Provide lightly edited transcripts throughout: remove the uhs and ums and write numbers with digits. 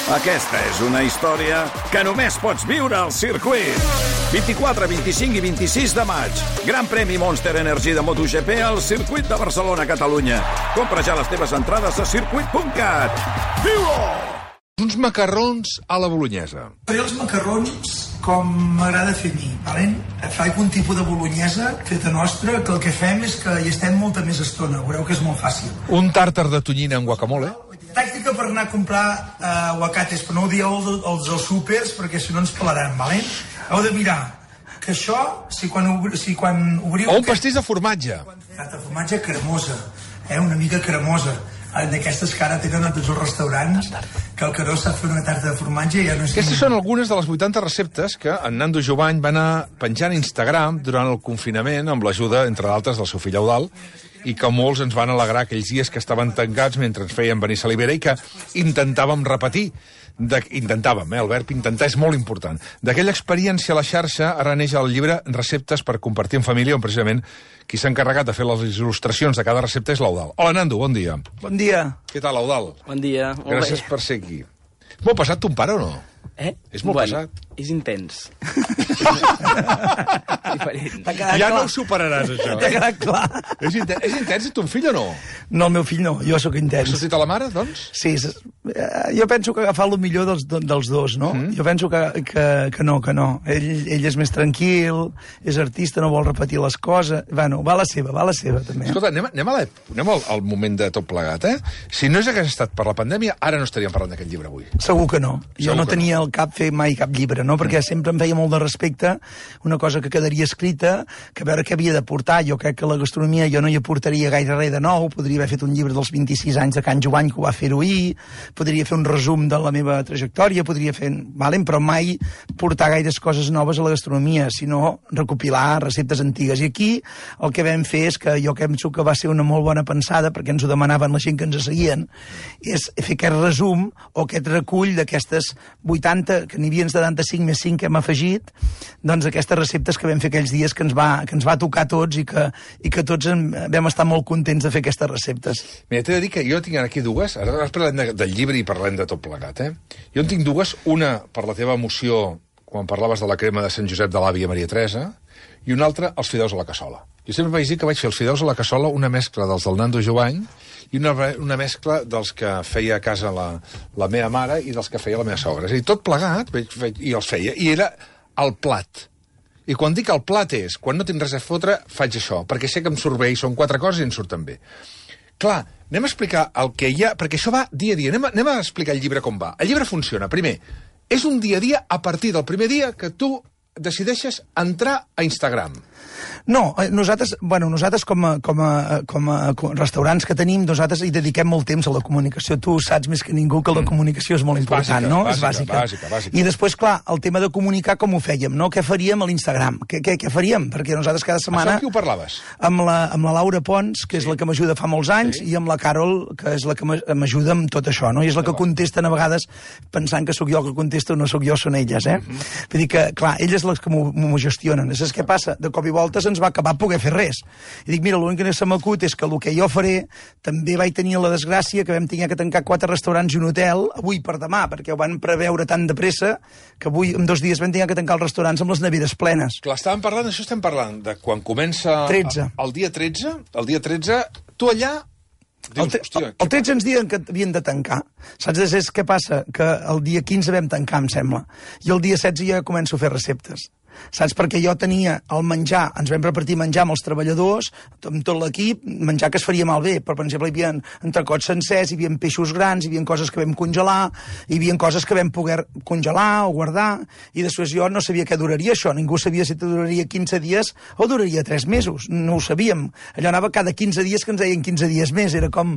Aquesta és una història que només pots viure al circuit. 24, 25 i 26 de maig. Gran premi Monster Energy de MotoGP al circuit de Barcelona, Catalunya. Compra ja les teves entrades a circuit.cat. Viu-ho! Uns macarrons a la bolognesa. Faré els macarrons com m'agrada fer a mi, valent? Faig un tipus de bolognesa feta nostra, que el que fem és que hi estem molta més estona. Veureu que és molt fàcil. Un tàrtar de tonyina amb guacamole. Tàctica per anar a comprar aguacates, però no ho dieu als súpers, perquè si no ens pelaran, valent? Heu de mirar que això, si quan obriu... O un pastís de formatge. Tarta de formatge cremosa, una mica cremosa. D'aquestes que ara tenen a tots els restaurants, que el Caró sap fer una tarta de formatge i ja no és... Aquestes són algunes de les 80 receptes que en Nando Jovany va anar penjant a Instagram durant el confinament amb l'ajuda, entre d'altres, del seu fill Eudald, i que molts ens van alegrar aquells dies que estaven tancats mentre ens feien venir salivera i que intentàvem repetir. Intentàvem, el verb intentar és molt important. D'aquella experiència a la xarxa ara neix el llibre Receptes per compartir en família, on precisament qui s'ha encarregat de fer les il·lustracions de cada recepta és l'Eudald. Hola, Nando, bon dia. Bon dia. Què tal, Eudald? Bon dia. Gràcies per ser aquí. Molt passat ton pare o no? És molt pesat. És intens. Diferent. Ja no ho superaràs, això. T'ha quedat clar. És intens ton fill o no? No, el meu fill no, jo sóc Has intens. sortit a la mare, doncs? Sí, jo penso que agafar el millor dels dos, no? Jo penso que no. Ell és més tranquil, és artista, no vol repetir les coses. Bueno, va la seva, també. Escolta, anem al moment de tot plegat, Si no hagués estat per la pandèmia, ara no estaríem parlant d'aquest llibre avui. Segur que no. Jo Segur no que tenia al cap fer mai cap llibre, no? Perquè sempre em feia molt de respecte una cosa que quedaria escrita, que a veure què havia de portar. Jo crec que la gastronomia jo no hi aportaria gaire res de nou. Podria haver fet un llibre dels 26 anys de Can Jovany, que ho va fer-ho ahir, podria fer un resum de la meva trajectòria, podria fer... però mai portar gaires coses noves a la gastronomia, sinó recopilar receptes antigues. I aquí el que vam fer és que jo penso que va ser una molt bona pensada, perquè ens ho demanaven la gent que ens seguien, és fer aquest resum o aquest recull d'aquestes 80, que n'hi havia 75 més 5 que hem afegit, doncs aquestes receptes que vam fer aquells dies que ens va tocar a tots i que tots vam estar molt contents de fer aquestes receptes. Mira, t'he de dir que jo tinc aquí dues, ara parlem del llibre i parlem de tot plegat, Jo en tinc dues, una per la teva emoció quan parlaves de la crema de Sant Josep de l'àvia Maria Teresa, i una altra, els fideus a la cassola. Jo sempre vaig dir que vaig fer els fideus a la cassola una mescla dels del Nando Jovany i una mescla dels que feia a casa la meva mare i dels que feia la meva sogra. És a dir, tot plegat, i els feia, i era el plat. I quan dic el plat és, quan no tinc res a fotre, faig això, perquè sé que em surt bé i són 4 coses i em surten bé. Clar, anem a explicar el que hi ha, perquè això va dia a dia. Anem a explicar el llibre com va. El llibre funciona, primer, és un dia a dia a partir del primer dia que tu decideixes entrar a Instagram. No, nosaltres com a restaurants que tenim, nosaltres hi dediquem molt temps a la comunicació. Tu saps més que ningú que la comunicació és molt important, no? És bàsica. I després, clar, el tema de comunicar com ho fèiem, no? Què faríem a l'Instagram? Què faríem? Perquè nosaltres cada setmana... Això amb qui ho parlaves? Amb la Laura Pons, que és la que m'ajuda fa molts anys, i amb la Carol, que és la que m'ajuda amb tot això, no? I és la que contesten a vegades pensant que sóc jo que contesto, no sóc jo, són elles, Vull dir que, clar, elles les que m'ho gestionen. Saps què passa? De cop i voltes ens va acabar poder fer res. I dic, mira, l'únic que se m'acut és que el que jo faré, també vaig tenir la desgràcia que vam tenir que tancar 4 restaurants i un hotel avui per demà, perquè ho van preveure tan de pressa que avui, en 2 dies, vam tenir que tancar els restaurants amb les neveres plenes. Clar, estem parlant de quan comença... 13. El dia 13, tu allà... Dius, el 13 ens diuen que havien de tancar. Saps què passa? Que el dia 15 vam tancar, em sembla. I el dia 16 ja començo a fer receptes. Saps? Perquè jo tenia el menjar, ens vam repartir menjar amb els treballadors, amb tot l'equip, menjar que es faria malbé. Per exemple, hi havia entrecots sencers, hi havia peixos grans, hi havia coses que vam congelar, hi havia coses que vam poder congelar o guardar, i després jo no sabia què duraria això. Ningú sabia si duraria 15 dies o duraria 3 mesos. No ho sabíem. Allò anava cada 15 dies que ens deien 15 dies més. Era com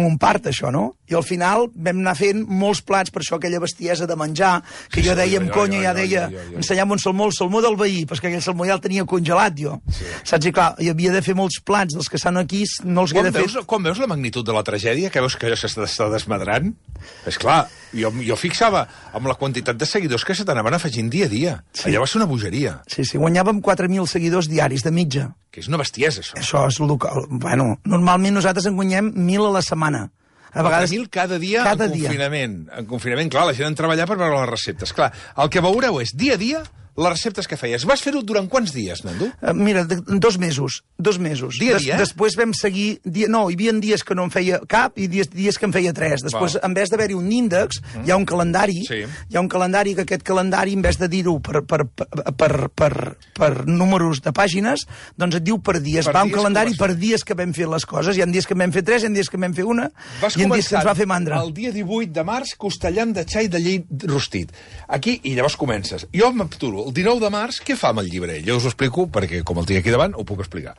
un part, això, no? I al final vam anar fent molts plats, per això aquella bestiesa de menjar, que jo deia amb conya, ja deia, ensenya'm un salmó del veí, perquè aquell salmó ja el tenia congelat, jo. Saps? I clar, hi havia de fer molts plats dels que estan aquí, no els havia de fer... Quan veus la magnitud de la tragèdia, que veus que allò s'està desmadrant, és clar, jo fixava amb la quantitat de seguidors que se t'anaven afegint dia a dia. Allò va ser una bogeria. Sí, guanyàvem 4.000 seguidors diaris de mitja. Que és una bestiesa, això. Això és local. Bueno, normalment nosaltres en guanyem 1.000 a la setmana. A vegades... 4.000 cada dia en confinament. En confinament, clar, la gent en treballar per veure les receptes. Clar, el que veureu és dia a dia les receptes que feies. Vas fer-ho durant quants dies, Nando? Mira, 2 mesos. 2 mesos. Dia a dia? Després vam seguir... No, hi havia dies que no en feia cap i dies que en feia 3. Després, en vez d'haver-hi un índex, hi ha un calendari. Sí. Hi ha un calendari que aquest calendari, en vez de dir-ho per números de pàgines, doncs et diu per dies. Va un calendari per dies que vam fer les coses. Hi ha dies que vam fer 3, hi ha dies que vam fer 1, i hi ha dies que ens va fer mandra. El dia 18 de març, costellam de xai de llet rostit. Aquí, i llavors comences. Jo m'apturo. El 19 de març, què fa amb el llibre? Jo us ho explico, perquè com el tinc aquí davant, ho puc explicar.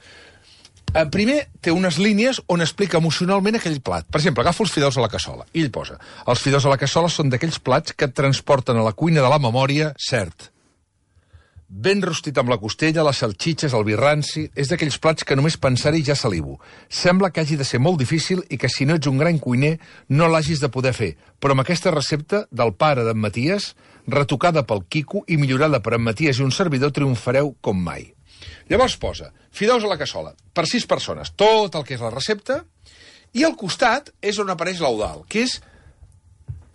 Primer, té unes línies on explica emocionalment aquell plat. Per exemple, agafa els fideus a la cassola, i ell posa: els fideus a la cassola són d'aquells plats que et transporten a la cuina de la memòria, cert. Ben rostit amb la costella, les salxitxes, el vi ranci, és d'aquells plats que només pensar-hi ja salivo. Sembla que hagi de ser molt difícil i que si no ets un gran cuiner no l'hagis de poder fer. Però amb aquesta recepta del pare d'en Maties, retocada pel Quico i millorada per en Maties i un servidor, triomfareu com mai. Llavors posa fideus a la cassola per 6 persones, tot el que és la recepta, i al costat és on apareix l'Eudald, que és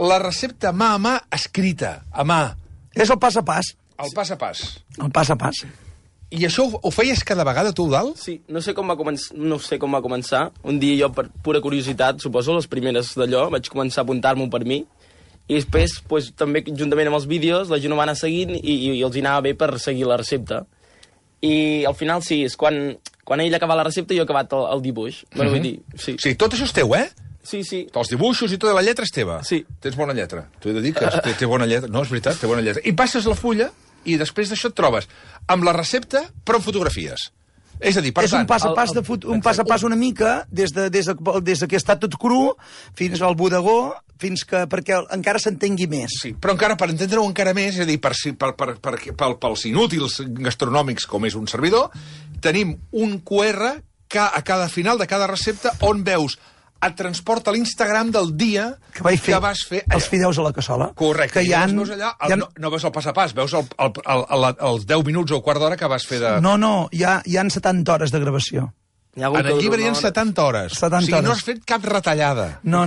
la recepta mà a mà escrita, a mà. És el pas a pas. El pas a pas. El pas a pas. I això ho feies cada vegada, tu, Eudald? Sí, no sé com va començar. Un dia jo, per pura curiositat, suposo, les primeres d'allò, vaig començar a apuntar-m'ho per mi, i després, pues, també, juntament amb els vídeos, la gent ho va anar seguint i els hi anava bé per seguir la recepta. I al final, sí, és quan ell acaba la recepta, jo he acabat el dibuix. Bueno, vull dir, sí. Sí, tot això és teu, eh? Sí, sí. Els dibuixos i tota la lletra és teva. Sí. Tens bona lletra. T'ho he de dir que té bona lletra. No, és veritat, té bona lletra. I passes la fulla i després d'això et trobes amb la recepta, però amb fotografies. És a dir, per és tant... un pas a pas una mica, des que està tot cru fins al bodegó, perquè encara s'entengui més. Sí, però encara, per entendre-ho encara més, és a dir, pels inútils gastronòmics com és un servidor, tenim un QR a cada final de cada recepta on veus et transporta a l'Instagram del dia que vas fer allà. Els fideus a la cassola. Correcte, i veus allà, no veus el pas a pas, veus els 10 minuts o quart d'hora que vas fer de... No, hi ha 70 hores de gravació. En el llibre hi ha 70 hores. 70 o sigui, no has fet cap retallada. No.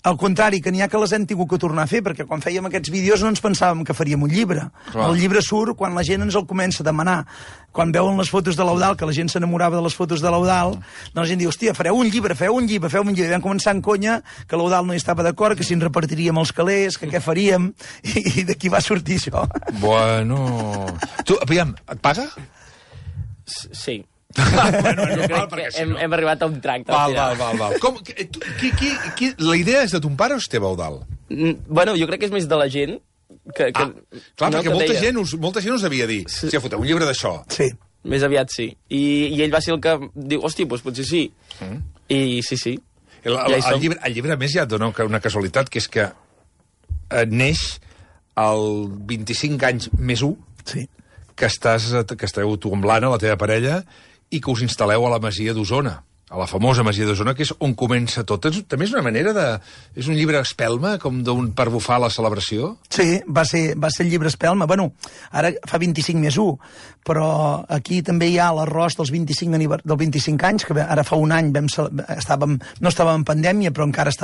Al contrari, que n'hi ha que les hem tingut que tornar a fer, perquè quan fèiem aquests vídeos no ens pensàvem que faríem un llibre. Clar. El llibre surt quan la gent ens el comença a demanar. Quan veuen les fotos de l'Eudald, que la gent s'enamorava de les fotos de l'Eudald, doncs la gent diu, hòstia, fareu un llibre. I vam començar en conya que l'Eudald no hi estava d'acord, que si ens repartiríem els calés, que què faríem, i d'aquí va sortir això. Bueno... Tu, aviam, et paga? Sí. Hem arribat a un tracte. Val. La idea és de ton pare o és teva, Eudald? Bueno, jo crec que és més de la gent. Clar, perquè molta gent us devia dir, si foteu un llibre d'això. Sí. Més aviat sí. I ell va ser el que diu, hòstia, doncs potser sí. I sí. El llibre, a més, ja et dona una casualitat, que és que neix el 25 anys més 1, sí, que esteu tu amb l'Anna, la teva parella, i que us instal·leu a la Masia d'Osona, a la famosa Masia d'Osona, que és on comença tot. També és una manera de... És un llibre espelma, com per bufar la celebració? Sí, va ser el llibre espelma. Bueno, ara fa 25 més 1, però aquí també hi ha l'arròs dels 25 anys, que ara fa un any no estàvem en pandèmia, però encara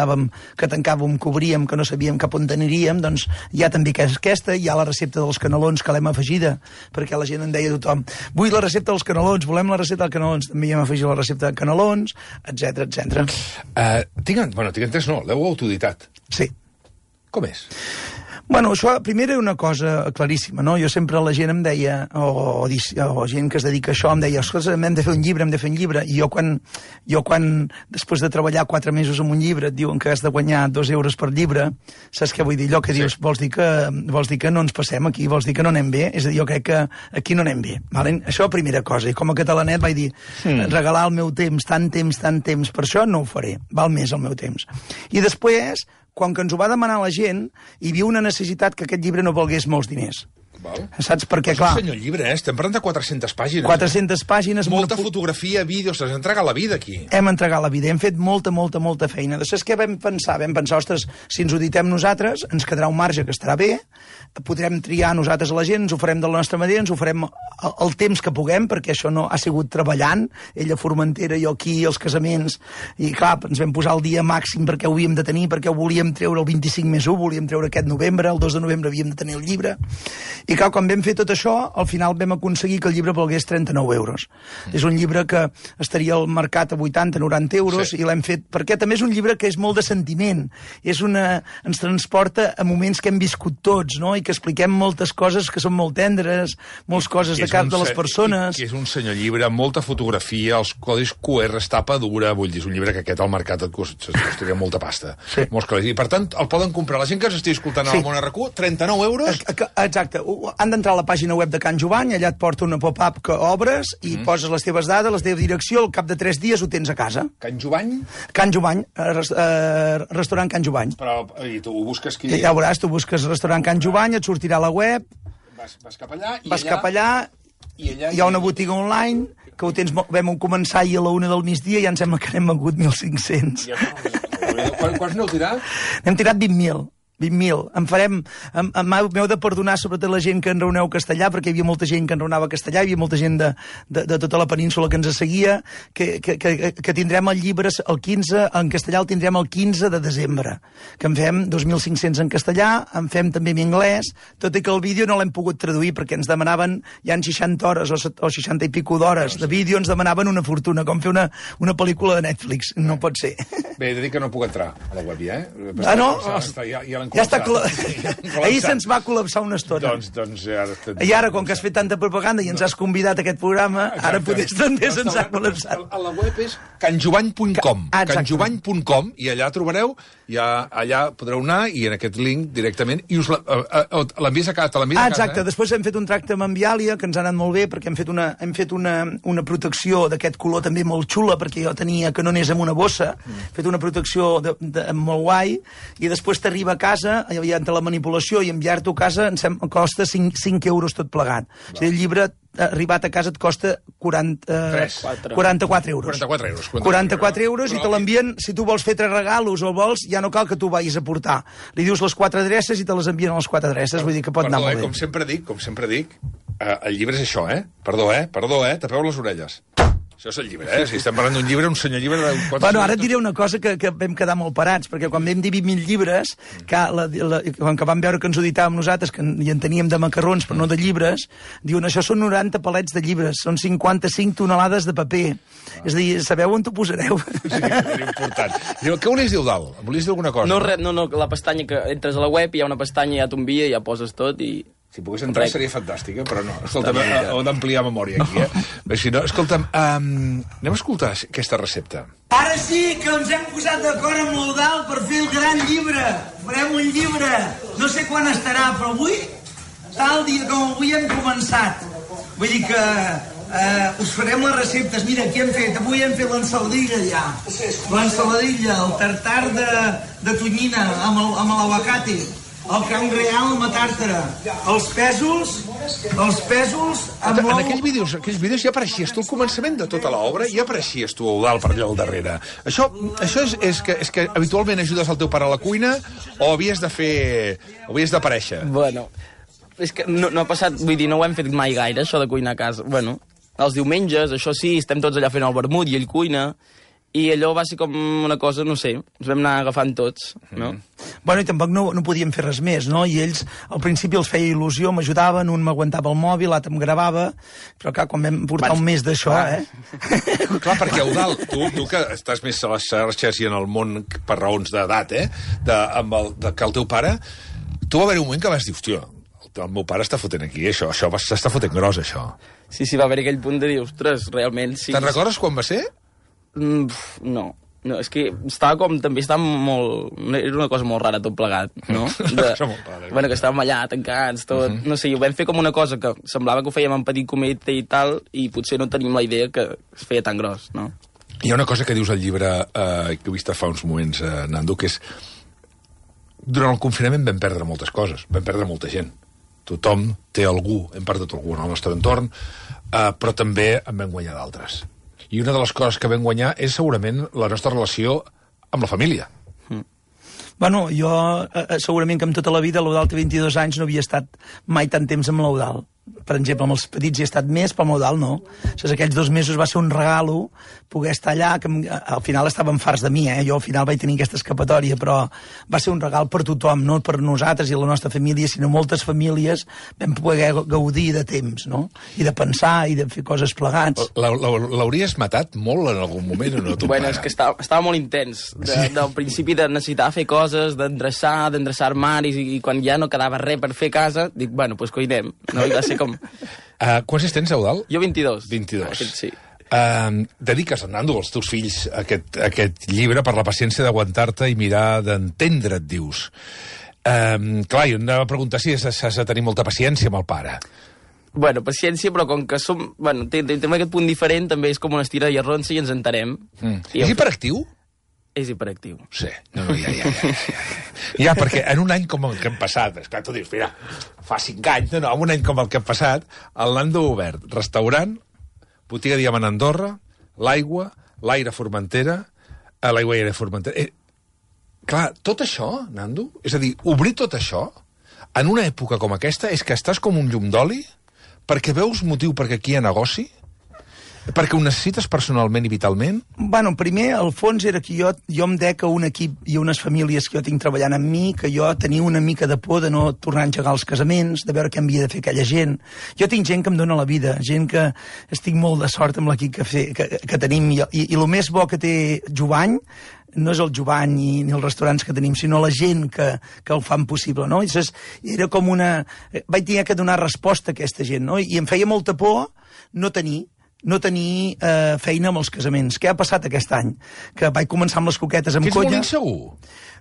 que tancàvem, que obríem, que no sabíem cap on aniríem, doncs hi ha també aquesta, hi ha la recepta dels canelons, que l'hem afegida, perquè la gent en deia a tothom, vull la recepta dels canelons, volem la recepta dels canelons, també hi hem afegit la recepta de canelons, etc. Tinc entès, no, l'heu autoditat. Sí. Com és? Bueno, això, primer era una cosa claríssima, no? Jo sempre la gent em deia, o gent que es dedica a això, em deia, escolta, hem de fer un llibre, i jo quan després de treballar 4 mesos en un llibre, et diuen que has de guanyar 2 euros per llibre, saps què vull dir? Allò que dius, vols dir que no ens passem aquí, vols dir que no anem bé? És a dir, jo crec que aquí no anem bé. Vale? Això, primera cosa, i com a catalanet vaig dir, regalar el meu temps, tant temps, per això no ho faré, val més el meu temps. I després, quan que ens ho va demanar la gent, hi havia una necessitat que aquest llibre no valgués molts diners. Val. Saps? Perquè, clar... És un senyor llibre, estem parlant de 400 pàgines. 400 pàgines... Molta fotografia, vídeos, s'has entregat la vida aquí. Hem entregat la vida, hem fet molta feina. Després què vam pensar? Vam pensar, ostres, si ens ho editem nosaltres, ens quedarà un marge que estarà bé, podrem triar nosaltres a la gent, ens ho farem de la nostra manera, ens ho farem el temps que puguem, perquè això no ha sigut treballant, ella a Formentera, jo aquí, els casaments, i clar, ens vam posar el dia màxim perquè ho havíem de tenir, perquè ho volíem treure el 25+1, volíem treure aquest novembre, el 2 de novembre havíem de tenir el llibre, i clar, quan vam fer tot això, al final vam aconseguir que el llibre valgués 39 euros. És un llibre que estaria al mercat a 80-90 euros, i l'hem fet, perquè també és un llibre que és molt de sentiment, ens transporta a moments que hem viscut tots, no? I que expliquem moltes coses que són molt tendres, moltes coses de cap de les persones. Que és un senyor llibre, molta fotografia, els codis QR, tapa dura, vull dir, és un llibre que aquest al mercat et costaria molta pasta. Sí. Molts calés. I per tant, el poden comprar. La gent que ens estigui escoltant al Món RQ, 39 euros... Exacte. Han d'entrar a la pàgina web de Can Jovany, allà et porta una pop-up que obres i poses les teves dades, la teva direcció, al cap de 3 dies ho tens a casa. Can Jovany? Can Jovany, restaurant Can Jovany. Però, i tu ho busques aquí? Ja veuràs, tu busques restaurant Can Jovany, et sortirà a la web... Vas cap allà, i vas cap allà, i allà hi ha una botiga online, que ho tens, vam començar ahir a la 1 del migdia i ja em sembla que n'hem vengut 1.500. Quants n'heu tirat? N'hem tirat 20.000. 20.000. M'heu de perdonar sobretot la gent que enraoneu castellà, perquè hi havia molta gent que enraonava castellà, hi havia molta gent de tota la península que ens seguia, que tindrem el llibre el 15, en castellà el tindrem el 15 de desembre, que en fem 2.500 en castellà, en fem també en anglès, tot i que el vídeo no l'hem pogut traduir, perquè ens demanaven, ja en 60 hores o 60 i pico d'hores de vídeo, ens demanaven una fortuna, com fer una pel·lícula de Netflix. No pot ser. Bé, he de dir que no puc entrar a la web ja, no? Ja està ahir se'ns va col·lapsar una estona. Doncs I ara, com que has fet tanta propaganda i ens has convidat a aquest programa, ara potser també se'ns ha col·lapsat. La web és canjovany.com. Canjovany.com, i allà trobareu, allà podreu anar, i en aquest link directament, i us l'envies a casa. Exacte, després hem fet un tracte amb Enviàlia, que ens ha anat molt bé, perquè hem fet una protecció d'aquest color també molt xula, perquè jo tenia que no anés amb una bossa, hem fet una protecció molt guai, i després t'arriba a casa, entre la manipulació i enviar-t'ho a casa, costa 5 euros tot plegat. O sigui, el llibre arribat a casa et costa 44 euros. 44 euros, i te l'envien, si tu vols fer 3 regalos o vols, ja no cal que tu vagis a portar. Li dius les 4 adreces i te les envien a les 4 adreces, vull dir que pot anar molt bé. Com sempre dic, el llibre és això, Perdó, tapeu les orelles. Això és el llibre, Si estem parlant d'un llibre, un senyor llibre de... Bueno, ara et diré una cosa que vam quedar molt parats, perquè quan vam dir 20.000 llibres, quan vam veure que ens ho editàvem nosaltres, que hi en teníem de macarrons, però no de llibres, diuen, això són 90 palets de llibres, són 55 tonelades de paper. És a dir, sabeu on t'ho posareu? Sí, és important. Què volies dir, Eudald? Volies dir alguna cosa? No, la pestanya que entres a la web, hi ha una pestanya, ja t'envia, ja poses tot i... Si pogués entrar seria fantàstica, però no. Escolta'm, heu d'ampliar memòria aquí, Si no, escolta'm, anem a escoltar aquesta recepta. Ara sí que ens hem posat d'acord amb l'Eudald per fer el gran llibre. Farem un llibre. No sé quan estarà, però avui, tal dia com avui hem començat. Vull dir que us farem les receptes. Mira, què hem fet? Avui hem fet l'ensaladilla ja. L'ensaladilla, el tartar de tonyina amb l'aguacate. El can real amb la tàrtara, els pèsols amb l'ou... En aquells vídeos ja apareixies tu al començament de tota l'obra, ja apareixies tu, Eudald, per allà al darrere. Això és que habitualment ajudes el teu pare a la cuina o havies d'aparèixer? Bueno, és que no ha passat, vull dir, no ho hem fet mai gaire, això de cuinar a casa. Bueno, els diumenges, això sí, estem tots allà fent el vermut i ell cuina... I allò va ser com una cosa, no sé, ens vam anar agafant tots, no? Bueno, i tampoc no podíem fer res més, no? I ells, al principi els feia il·lusió, m'ajudaven, un m'aguantava el mòbil, l'altre em gravava, però clar, quan vam portar un mes d'això, Clar, perquè, Eudald, tu que estàs més a les xarxes i en el món per raons d'edat, que el teu pare, tu va haver un moment que vas dir, hòstia, el meu pare està fotent aquí, això s'està fotent gros, això. Sí, va haver aquell punt de dir, ostres, realment sí. Te'n recordes quan va ser? No, és que també estava molt... Era una cosa molt rara tot plegat, no? Bueno, que estàvem allà tancats, tot... No sé, ho vam fer com una cosa que semblava que ho fèiem en petit comitè i tal, i potser no tenim la idea que es feia tan gros, no? Hi ha una cosa que dius al llibre, que he vist fa uns moments, Nando, que és... Durant el confinament vam perdre moltes coses, vam perdre molta gent. Tothom té algú, hem perdut algú en el nostre entorn, però també en vam guanyar d'altres. I una de les coses que vam guanyar és segurament la nostra relació amb la família. Bueno, jo segurament que amb tota la vida l'Eudal té 22 anys, no havia estat mai tant temps amb l'Eudal. Per exemple, amb els petits hi he estat més, però amb l'Eudal no. Aquells 2 mesos va ser un regalo poder estar allà, que al final estaven farts de mi, jo al final vaig tenir aquesta escapatòria, però va ser un regal per tothom, no per nosaltres i la nostra família, sinó moltes famílies vam poder gaudir de temps, no? I de pensar i de fer coses plegats. L'hauries matat molt en algun moment o no, tu Bueno, és que estava molt intens. Del principi de necessitar fer coses, d'endreçar armaris, i quan ja no quedava res per fer a casa, dic, bueno, doncs coinem. No? I va ser com... Quants tens, Eudal? Jo 22. 22. Sí. Dediques, Nando, als teus fills aquest llibre per la paciència d'aguantar-te i mirar d'entendre't, dius. Clar, jo anava a preguntar si has de tenir molta paciència amb el pare. Bueno, paciència, però com que som... Bueno, tenim aquest punt diferent, també és com una estira i arronsa i ens entenem. És hiperactiu? És hiperactiu. Sí. No, ja, perquè en un any com el que hem passat, esclar, tu dius, mira, fa 5 anys, no, en un any com el que hem passat, el Nando ha obert restaurant, botiga Diamant Andorra, l'aigua, l'aire Formentera, l'aigua i aire Formentera. Clar, tot això, Nando, és a dir, obrir tot això, en una època com aquesta, és que estàs com un llum d'oli, perquè veus motiu perquè aquí hi ha negoci, perquè ho necessites personalment i vitalment? Bueno, primer, al fons era que jo em dec a un equip i a unes famílies que jo tinc treballant amb mi, que jo tenia una mica de por de no tornar a engegar els casaments, de veure què havia de fer aquella gent. Jo tinc gent que em dóna la vida, gent que estic molt de sort amb l'equip que tenim, i el més bo que té Jovany no és el Jovany ni els restaurants que tenim, sinó la gent que el fan possible, no? I era com una... Vaig tenir que donar resposta a aquesta gent, no? I em feia molta por no tenir feina amb els casaments. Què ha passat aquest any? Que vaig començar amb les coquetes amb colla... Que ets molt insegur?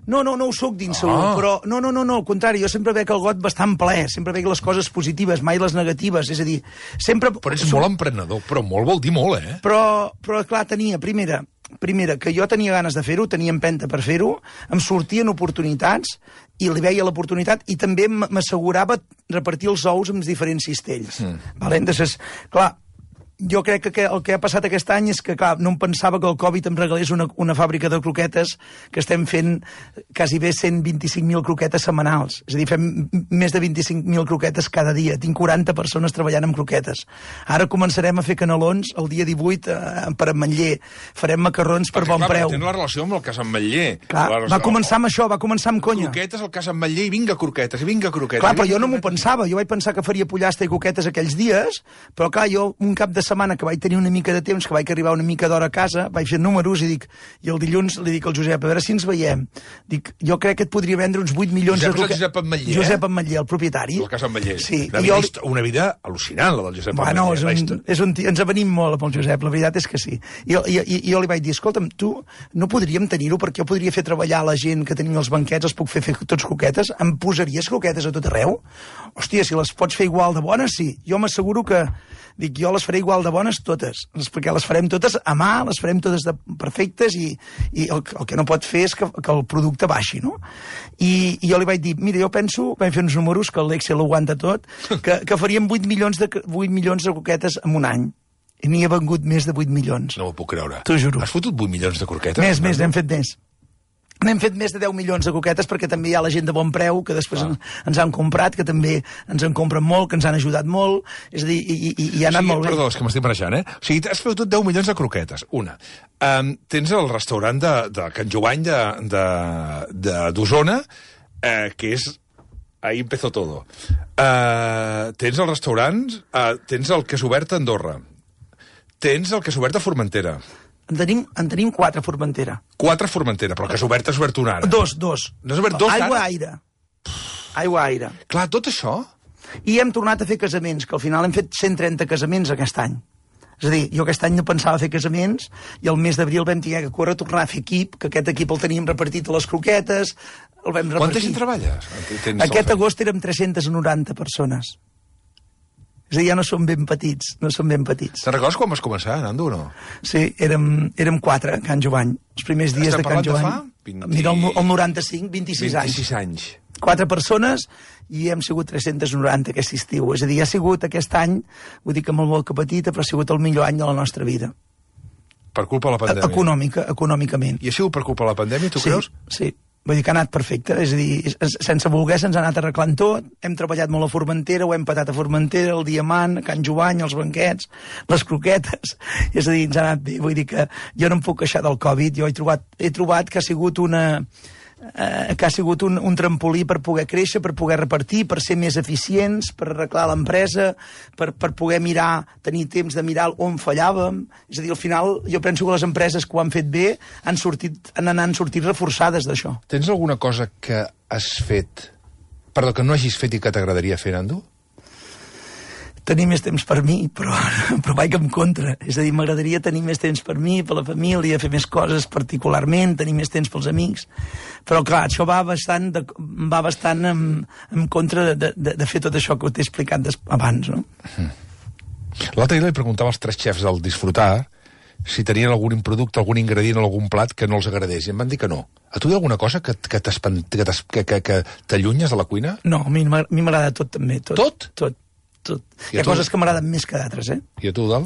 No ho soc d'insegur, però no, al contrari, jo sempre veig el got bastant ple, sempre veig les coses positives, mai les negatives, és a dir, sempre... Però ets molt emprenedor, però molt vol dir molt, eh? Però clar, tenia, primera, que jo tenia ganes de fer-ho, tenia empenta per fer-ho, em sortien oportunitats, i li veia l'oportunitat, i també m'assegurava repartir els ous amb diferents cistells. Entonces, clar, jo crec que el que ha passat aquest any és que, clar, no em pensava que el Covid em regalés una fàbrica de croquetes, que estem fent quasi bé 125.000 croquetes setmanals. És a dir, fem més de 25.000 croquetes cada dia. Tinc 40 persones treballant amb croquetes. Ara començarem a fer canelons el dia 18 per Ametller. Farem macarrons per bon preu. Tens la relació amb el cas Ametller. Clar, va començar amb això, va començar amb conya. Croquetes al cas Ametller i vinga croquetes, i vinga croquetes. Clar, però jo no m'ho pensava. Jo vaig pensar que faria pollastre i coquetes aquells dies, però clar, jo un cap de setmana que vaig tenir una mica de temps, que vaig arribar una mica d'hora a casa, vaig fer números i el dilluns li dic al Josep, a veure si ens veiem. Dic, jo crec que et podria vendre uns 8 milions de croquetes. Josep Ametller, Josep Ametller, el propietari. El cas Ametller. Sí. Una vida al·lucinant, la del Josep Ametller. Ens avenim molt amb el Josep, la veritat és que sí. I jo li vaig dir, escolta'm, tu no podríem tenir-ho perquè jo podria fer treballar la gent que tenim els banquets, els puc fer tots croquetes, em posaries croquetes a tot arreu? Hòstia, si les pots fer igual de bones, sí. Jo m'asseguro que dic, jo les faré igual de bones totes, perquè les farem totes a mà, les farem totes perfectes i el que no pot fer és que el producte baixi, no? I jo li vaig dir, mira, jo penso, vam fer uns números, que l'Excel ho aguanta tot, que faríem 8 milions de croquetes en un any. I n'hi ha vengut més de 8 milions. No ho puc creure. T'ho juro. Has fotut 8 milions de croquetes? Més, n'hem fet més. N'hem fet més de 10 milions de coquetes perquè també hi ha la gent de bon preu que després ens han comprat, que també ens en compren molt, que ens han ajudat molt, és a dir, i ha anat molt bé. Perdó, és que m'estic barrejant, O sigui, has fet 10 milions de croquetes, una. Tens el restaurant de Can Jovany d'Osona, que és... Ahí empezó todo. Tens el restaurant, tens el que s'ha obert a Andorra, tens el que s'ha obert a Formentera. En tenim 4 a Formentera. 4 a Formentera, però que s'ha obert una ara. 2. No has obert 2 ara? Aigua-aire. Clar, tot això... I hem tornat a fer casaments, que al final hem fet 130 casaments aquest any. És a dir, jo aquest any no pensava fer casaments i el mes d'abril vam tenir que córrer a tornar a fer equip, que aquest equip el teníem repartit a les croquetes, el vam repartir. Quanta gent treballes? Aquest agost érem 390 persones. És a dir, ja no som ben petits, Te'n recordes quan vas començar, Nando, o no? Sí, érem 4 a Can Jovany, els primers dies de Can Jovany. Estem parlant de fa? Mira, el 95, 26 anys. 26 anys. 4 persones i hem sigut 390 aquest estiu. És a dir, ha sigut aquest any, vull dir que molt que petita, però ha sigut el millor any de la nostra vida. Per culpa de la pandèmia? Econòmicament. I ha sigut per culpa de la pandèmia, tu creus? Sí. Vull dir que ha anat perfecte, és a dir, sense voler se'ns ha anat arreglant tot, hem treballat molt a Formentera, ho hem patat a Formentera, el Diamant, a Can Jovany, els banquets, les croquetes, és a dir, ens ha anat bé, vull dir que jo no em puc queixar del Covid, jo he trobat que ha sigut un trampolí per poder créixer, per poder repartir, per ser més eficients, per arreglar l'empresa, per poder tenir temps de mirar on fallàvem. És a dir, al final, jo penso que les empreses que ho han fet bé han sortit reforçades d'això. Tens alguna cosa que que no hagis fet i que t'agradaria fer, Nando? Tenir més temps per mi, però vaig en contra. És a dir, m'agradaria tenir més temps per mi, per la família, fer més coses particularment, tenir més temps pels amics. Però, clar, això va bastant en contra de fer tot això que t'he explicat abans, no? L'altre dia li preguntava als 3 xefs del Disfrutar si tenien algun producte, algun ingredient o algun plat que no els agradés, i em van dir que no. A tu hi ha alguna cosa que t'allunyes de la cuina? No, a mi m'agrada tot, també. Tot? Tot. Hi ha coses que m'agraden més que d'altres, eh? I a tu, Dal?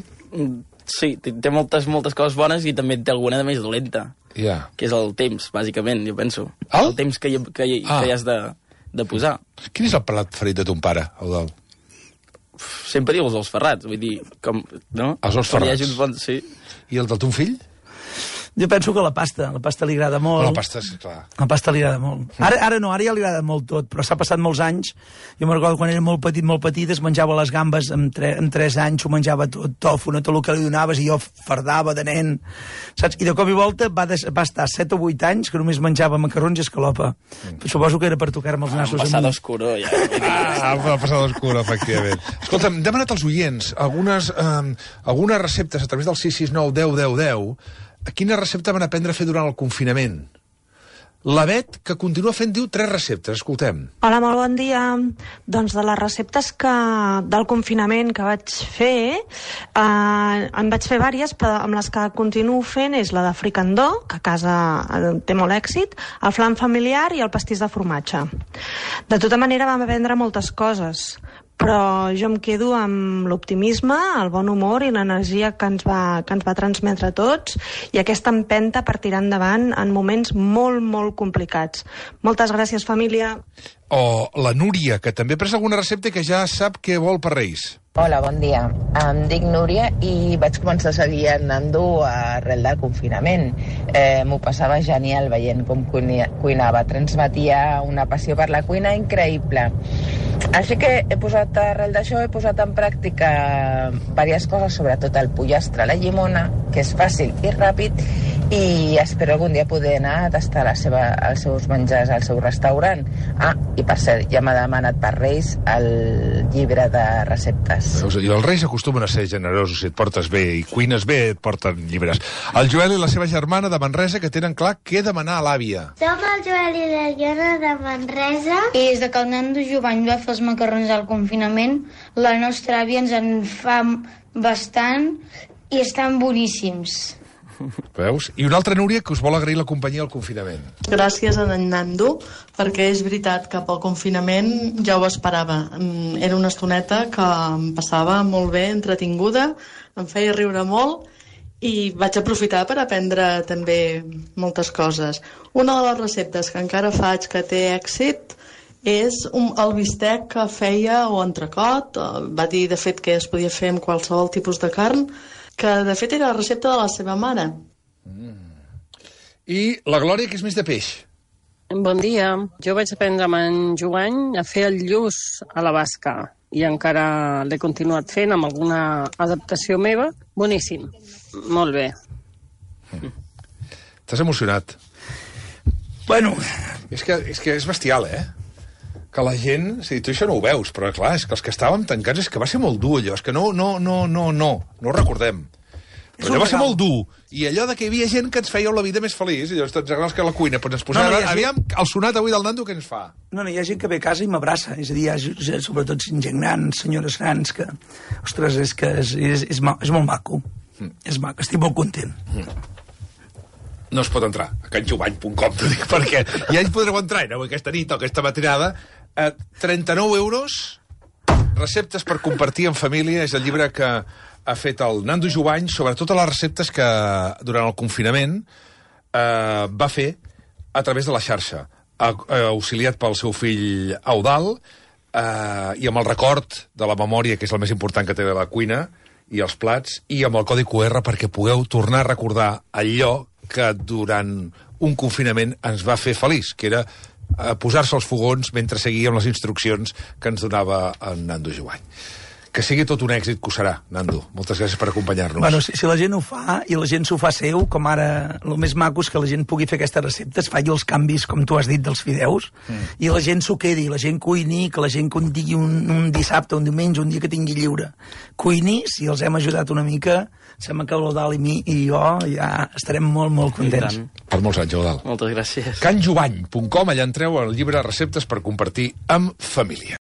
Sí, té moltes coses bones i també té alguna de més dolenta. Ja. Que és el temps, bàsicament, jo penso. El? El temps que hi has de posar. Quin és el plat preferit de ton pare, el Dal? Sempre diu els ous ferrats, vull dir, no? Els ous ferrats. Sí. I el del ton fill? Jo penso que la pasta li agrada molt. La pasta, sí, clar. La pasta li agrada molt. Ara no, ara ja li agrada molt tot, però s'ha passat molts anys. Jo me'n recordo quan era molt petit, es menjava les gambes amb 3 anys, ho menjava tot, tofu, no tot el que li donaves, i jo fardava de nen, saps? I de cop i volta va estar 7 o 8 anys que només menjava macarrons i escalopa. Suposo que era per tocar-me els nassos. Passada oscuro, ja. Passada oscuro, efectivament. Escolta'm, hem demanat als oients algunes receptes a través del 669 10 10 10. Quina recepta van aprendre a fer durant el confinament? La Bet, que continua fent, diu 3 receptes. Escoltem. Hola, molt bon dia. Doncs de les receptes del confinament que vaig fer, en vaig fer diverses, però amb les que continuo fent és la de fricandó, que a casa té molt èxit, el flam familiar i el pastís de formatge. De tota manera vam aprendre moltes coses, però jo em quedo amb l'optimisme, el bon humor i l'energia que ens va transmetre a tots, i aquesta empenta per tirar endavant en moments molt, molt complicats. Moltes gràcies, família. O la Núria, que també ha pres alguna recepta que ja sap què vol per Reis. Hola, bon dia. Em dic Núria i vaig començar a seguir en Nando arrel del confinament. M'ho passava genial veient com cuinava. Transmetia una passió per la cuina increïble. Així que arrel d'això he posat en pràctica diverses coses, sobretot el pollastre a la llimona, que és fàcil i ràpid, i espero algun dia poder anar a tastar els seus menjars al seu restaurant. I per cert, ja m'ha demanat per Reis el llibre de receptes. Veus? I els Reis acostumen a ser generosos, si et portes bé i cuines bé, et porten llibres. El Joel i la seva germana de Manresa, que tenen clar què demanar a l'àvia. Som el Joel i la Diana de Manresa. I des que el Nando Jovany va fer els macarrons al confinament, la nostra àvia ens en fa bastant i estan boníssims. Veus? I una altra Núria que us vol agrair la companyia al confinament. Gràcies a en Nando, perquè és veritat que pel confinament ja ho esperava. Era una estoneta que em passava molt bé, entretinguda, em feia riure molt i vaig aprofitar per aprendre també moltes coses. Una de les receptes que encara faig que té èxit és el bistec que feia o entrecot. Va dir, de fet, que es podia fer amb qualsevol tipus de carn, que de fet era la recepta de la seva mare. I la Glòria, que és més de peix. Bon dia. Jo vaig aprendre amb en Joan a fer el lluç a la basca i encara l'he continuat fent amb alguna adaptació meva. Boníssim. Molt bé. T'has emocionat. Bueno, és que és bestial, que la gent... O sigui, tu això no ho veus, però clar, és que els que estàvem tancats és que va ser molt dur, allò. És que no ho recordem. Però allò va ser molt dur. I allò de que hi havia gent que ens fèieu la vida més feliç. I llavors tots agrades que la cuina. Doncs ens posava... Aviam, el sonat avui del Nando, què ens fa? No, hi ha gent que ve a casa i m'abraça. És a dir, hi ha sobretot gent gran, senyores grans, que... Ostres, és molt maco. És maco, estic molt content. No es pot entrar a canjovany.com, t'ho dic, perquè ja hi podreu entrar, no? Aquesta nit o aquesta matinada. 39 euros, receptes per compartir en família, és el llibre que ha fet el Nando Jovany sobre totes les receptes que durant el confinament va fer a través de la xarxa, auxiliat pel seu fill Eudald, i amb el record de la memòria, que és el més important que té de la cuina, i els plats, i amb el codi QR perquè pugueu tornar a recordar allò que durant un confinament ens va fer feliç, que era posar-se als fogons mentre seguíem les instruccions que ens donava en Nando Jovany. Que sigui tot un èxit, que ho serà, Nando. Moltes gràcies per acompanyar-nos. Bueno, si la gent ho fa, i la gent s'ho fa seu, com ara, el més maco és que la gent pugui fer aquestes receptes, faci els canvis, com tu has dit, dels fideus, i la gent s'ho quedi, la gent cuini, que la gent digui un dissabte, un diumenge, un dia que tingui lliure. Cuini, si els hem ajudat una mica, sembla que l'Eudald i jo ja estarem molt, molt contents. Per molts anys, Eudald. Moltes gràcies. canjovany.com, allà entreu al llibre Receptes per compartir amb família.